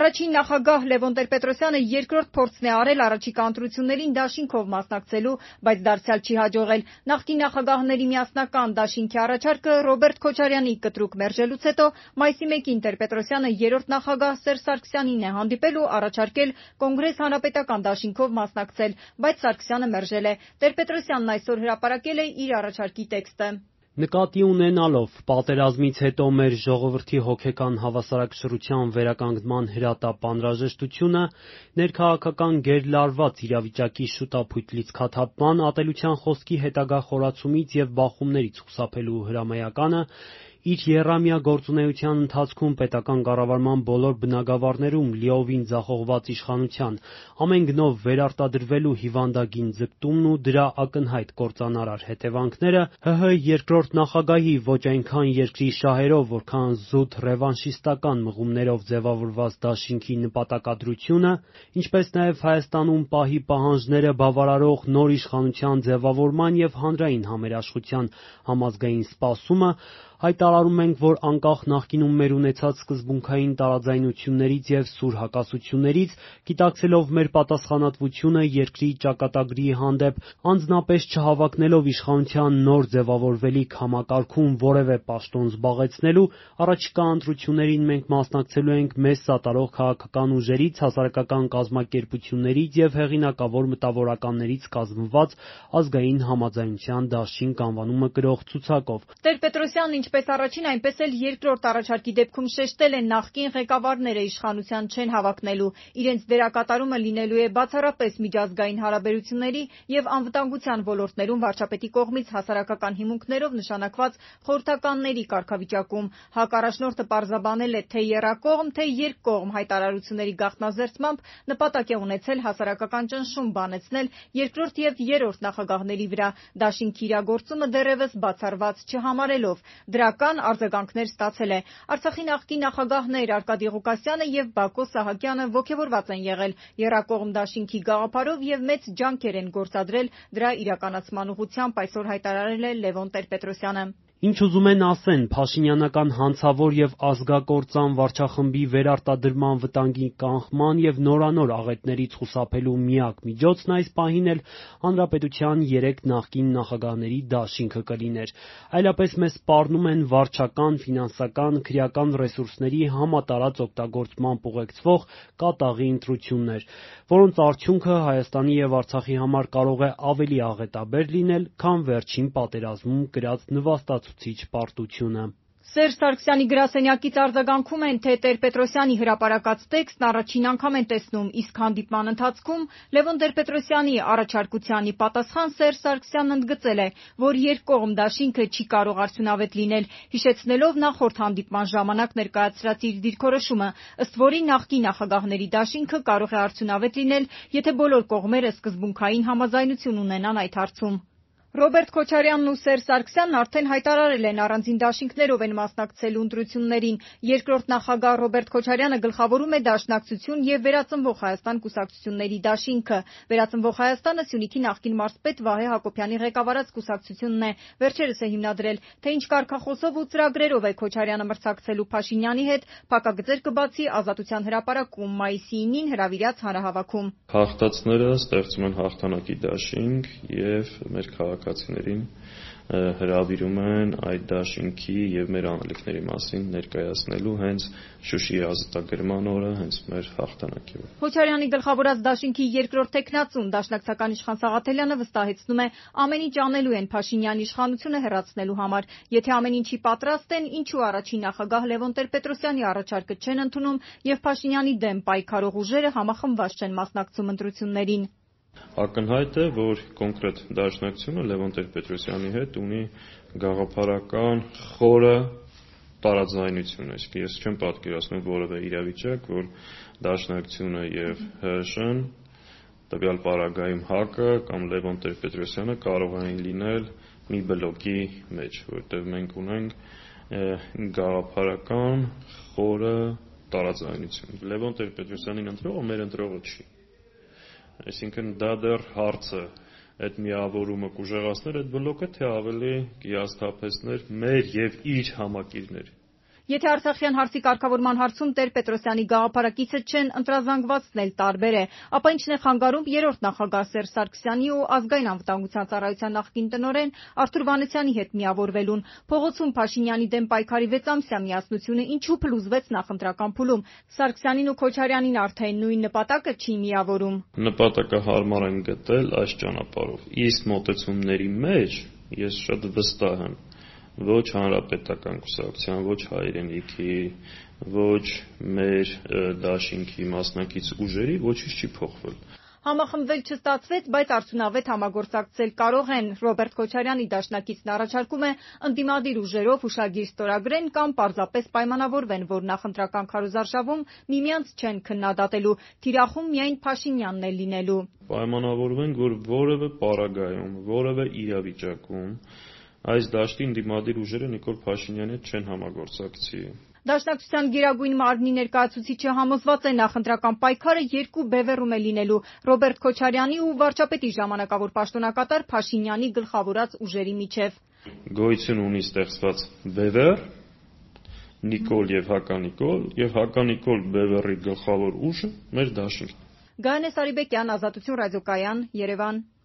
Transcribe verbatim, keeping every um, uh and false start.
Առաջին նախագահ Լևոն Տեր-Պետրոսյանը երկրորդ փորձն է արել առաջիկա ընտրություններին դաշինքով մասնակցելու, բայց դարձյալ չի հաջողել։ Նախկին նախագահների միասնական դաշինքի առաջարկը Ռոբերտ Քոչարյանի կտրուկ մերժելուց հետո մայիսի մեկին Տեր-Պետրոսյանը երրորդ նախագահ Սերժ Սարգսյանին է հանդիպել ու առաջարկել Կոնգրես հանրապետական դաշինքով մասնակցել, բայց Սարգսյանը մերժել է։ Տեր-Պետրոսյանն այսօր հրապարակել է իր առաջարկի տեքստը։ Նկատի ունենալով պատերազմից հետո մեր ժողովրդի հոգեկան հավասարակշռության վերականգնման հրատապ անհրաժեշտությունը, ներքաղաքական գերլարված իրավիճակի շուտափույթ լիցքաթափման, ատելության խոսքի հետագա խորացումից և բախումներից խուսափելու հրամայականը, իր եռամյա գործունեության ընթացքում պետական կառավարման բոլոր բնագավառներում լիովին ձախողված իշխանության, ամեն գնով վերարտադրվելու հիվանդագին ձգտումն ու դրա ակնհայտ կործանարար հետևանքները, ՀՀ երկրորդ նախագահի ոչ այնքան երկրի շահերով, որքան զուտ ռևանշիստական մղումներով ձևավորված դաշինքի նպատակադրությունը, ինչպես նաև Հայաստանում պահի պահանջները բավարարող նոր իշխանության ձևավորման և հանրային համերաշխության համազգային սպասումը, հայտարարում ենք, որ անկախ նախկինում մեր ունեցած սկզբունքային տարաձայնություններից և սուր հակասություններից, գիտակցելով մեր պատասխանատվությունը երկրի ճակատագրի հանդեպ, անձնապես չհավակնելով իշխանության նոր ձևավորվելիք համակարգում որևէ պաշտոն զբաղեցնելու, առաջիկա ընտրություններին մենք մասնակցելու ենք մեզ սատարող քաղաքական ուժերից, հասարակական կազմակերպություններից և հեղինակավոր մտավորականներից կազմված ազգային համաձայնության դաշինք անվանումը կրող ցուցակով։ Տեր-Պետրոսյանն ինչպես առաջին, այնպես էլ երկրորդ առաջարկի դեպքում շեշտել է նախկին ղեկավարները իշխանության չեն հավակնելու, իրենց դերակատարումը լինելու է բացառապես միջազգային հարաբերությունների և անվտանգության ոլորտներում վարչապետի կողմից հասարակական հիմունքներով նշանակված խորհրդականների կարգավիճակում։ ՀԱԿ առաջնորդը պարզաբանել է, թե եռակողմ, թե երկկողմ հայտարարությունների գաղտնազերծմամբ նպատակ է ունեցել հասարակական ճնշում բանեցնել երկրորդ և երրորդ նախագահների վրա, դաշինքի իրագործումը դեռևս բացառված չհամարելով։ Դրական արձագանքներ ստացել է։ Արցախի նախկին նախագահներ Արկադի Ղուկասյանը և Բակո Սահակյանը ոգևորված են եղել եռակողմ դաշինքի գաղափարով և մեծ ջանքեր են գործադրել դրա իրականացման ուղղությամբ, այսօր հայտարարել է Լևոն Տեր-Պետրոսյանը։ Ինչ ուզում են ասեն, փաշինյանական հանցավոր և ազգակործան վարչախմբի վերարտադրման վտանգի կանխման և նորանոր աղետներից խուսափելու միակ միջոցն այս պահին էլ հանրապետության երեք նախկին նախագահների դաշինքը կլիներ, այլապես մեզ սպառնում են վարչական, ֆինանսական, քրեական ռեսուրսների համատարած օգտագործմամբ ուղեկցվող կատաղի ընտրություններ, որոնց արդյունքը Հայաստանի և Արցախի համար կարող է ավելի աղետաբեր լինել, քան վերջին պատերազմում կրած նվաստացուցիչ պարտությունը։ Սերժ Սարգսյանի գրասենյակից արձագանքում են, թե Տեր-Պետրոսյանի հրապարակած տեքստն առաջին անգամ են տեսնում, իսկ հանդիպման ընթացքում Լևոն Տեր-Պետրոսյանի առաջարկությանի պատասխան Սերժ Սարգսյանն ընդգծել է, որ երկկողմ դաշինքը չի կարող արդյունավետ լինել, հիշեցնելով նախորդ հանդիպման ժամանակ ներկայացրած իր դիրքորոշումը, ըստ որի նախկին նախագահների դաշինքը կարող է արդյունավետ լինել, եթե բոլոր կողմերը սկզբունքային համաձայնություն ունենան այդ հարցում։ Ռոբերտ Քոչարյանն ու Սերժ Սարգսյանն արդեն հայտարարել են առանձին դաշինքներով են մասնակցելու ընտրություններին։ Երկրորդ նախագահ Ռոբերտ Քոչարյանը գլխավորում է Դաշնակցություն և Վերածնվող Հայաստան կուսակցությունների դաշինքը։ Վերածնվող Հայաստանը Սյունիքի նախկին մարզպետ Վահե Հակոբյանի ղեկավարած կուսակցությունն է, վերջերս է հիմնադրել։ Թե ինչ կարգախոսով ու ծրագրերով է Քոչարյանը մրցակցելու Փաշինյանի հետ, փակագծեր կբացի Ազատության հրապարակում մայիսի ինին հրավիրած հանրահավաքում։ Հաղթածները ստեղծում են հաղթանակի դաշինք և մեր քաղաքացիներին հրավիրում են այդ դաշինքի և մեր անելիքների մասին ներկայացնելու հենց Շուշիի ազատագրման օրը, հենց մեր հաղթանակի օրը։ Քոչարյանի գլխավորած դաշինքի երկրորդ թեկնածուն Դաշնակցական իշխան Սաղաթելյանը վստահեցնում է, ամեն ինչ անելու են Փաշինյանի իշխանությունը հեռացնելու համար։ Եթե ամեն ինչի պատրաստ են, ինչու առաջին նախագահ Լևոն Տեր-Պետրոսյանի առաջարկը չեն ընդունում և Փաշինյանի դեմ պայքարող ուժերը համախմբված չեն մասնակցում ընտրություններին։ Ակնհայտ է, որ կոնկրետ Դաշնակցությունը Լևոն Տեր-Պետրոսյանի հետ ունի գաղափարական խորը տարաձայնություն, այսինքն ես չեմ պատկերացնում որևէ իրավիճակ, որ Դաշնակցությունը և ՀՀՇ-ն, տվյալ պարագայում ՀԱԿ-ը կամ Լևոն Տեր-Պետրոսյանը կարող են լինել մի բլոկի մեջ, որտեղ մենք ունենք գաղափարական խորը տարաձայնություն։ Լևոն Տեր-Պետրոսյանին ընտրողը մեր ընտրողը չի։ Այսինքն դա դեռ հարց է, այդ միավորումը կուժեղացներ այդ բլոկը, թե ավելի կհիասթափեցներ մեր և իր համակիրներ։ Եթե Արցախյան հարցի կարգավորման հարցում Տեր-Պետրոսյանի գաղափարակիցը չեն ընտրազանգվածն էլ տարբեր է, ապա ինչն է խանգարում երրորդ նախագահ Սերժ Սարգսյանի ու Ազգային անվտանգության ծառայության նախկին տնօրեն Արթուր Վանեցյանի հետ միավորվելուն։ Փողոցում Փաշինյանի դեմ պայքարի վեցամսյա միասնությունը ինչու փլուզվեց նախընտրական փուլում։ Սարգսյանին ու Քոչարյանին արդեն նույն նպատակը չի միավորում։ Նպատակը հարմար են գտել այս ճանապարհով։ Իսկ մոտեցումների մեջ ես շատ վստահ եմ, ոչ հանրապետական կուսակցության, ոչ հայրենիքի, ոչ մեր դաշինքի մասնակից ուժերի ոչինչ չի փոխվել։ Համախմբվել չստացվեց, բայց արդյունավետ համագործակցել կարող են։ Ռոբերտ Քոչարյանի դաշնակիցն առաջարկում է ընդդիմադիր ուժերով հուշագիր ստորագրեն կամ պարզապես պայմանավորվեն, որ նախընտրական քարոզարշավում միմյանց չեն քննադատելու, թիրախում միայն Փաշինյանն է լինելու։ Պայմանավորվենք, որ որևէ պարագայում, որևէ իրավիճակում այս դաշտի ընդդիմադիր ուժերը Նիկոլ Փաշինյանի հետ չեն համագործակցի։ Դաշնակցության գերագույն մարմնի ներկայացուցիչը համոզված է նախընտրական պայքարը երկու բևեռում է լինելու՝ Ռոբերտ Քոչարյանի ու վարչապետի ժամանակավոր պաշտոնակատար Փաշինյանի գլխավորած ուժերի միջև։ Գոյություն ունի ստեղծված բևեռ, Նիկոլ եւ Հականիկոլ, եւ Հականիկոլ բևեռի գլխավոր ուժը մեր դաշինքն է։ Գայանե Սարիբեկյան, Ազատություն ռադիոկայան, Երևան։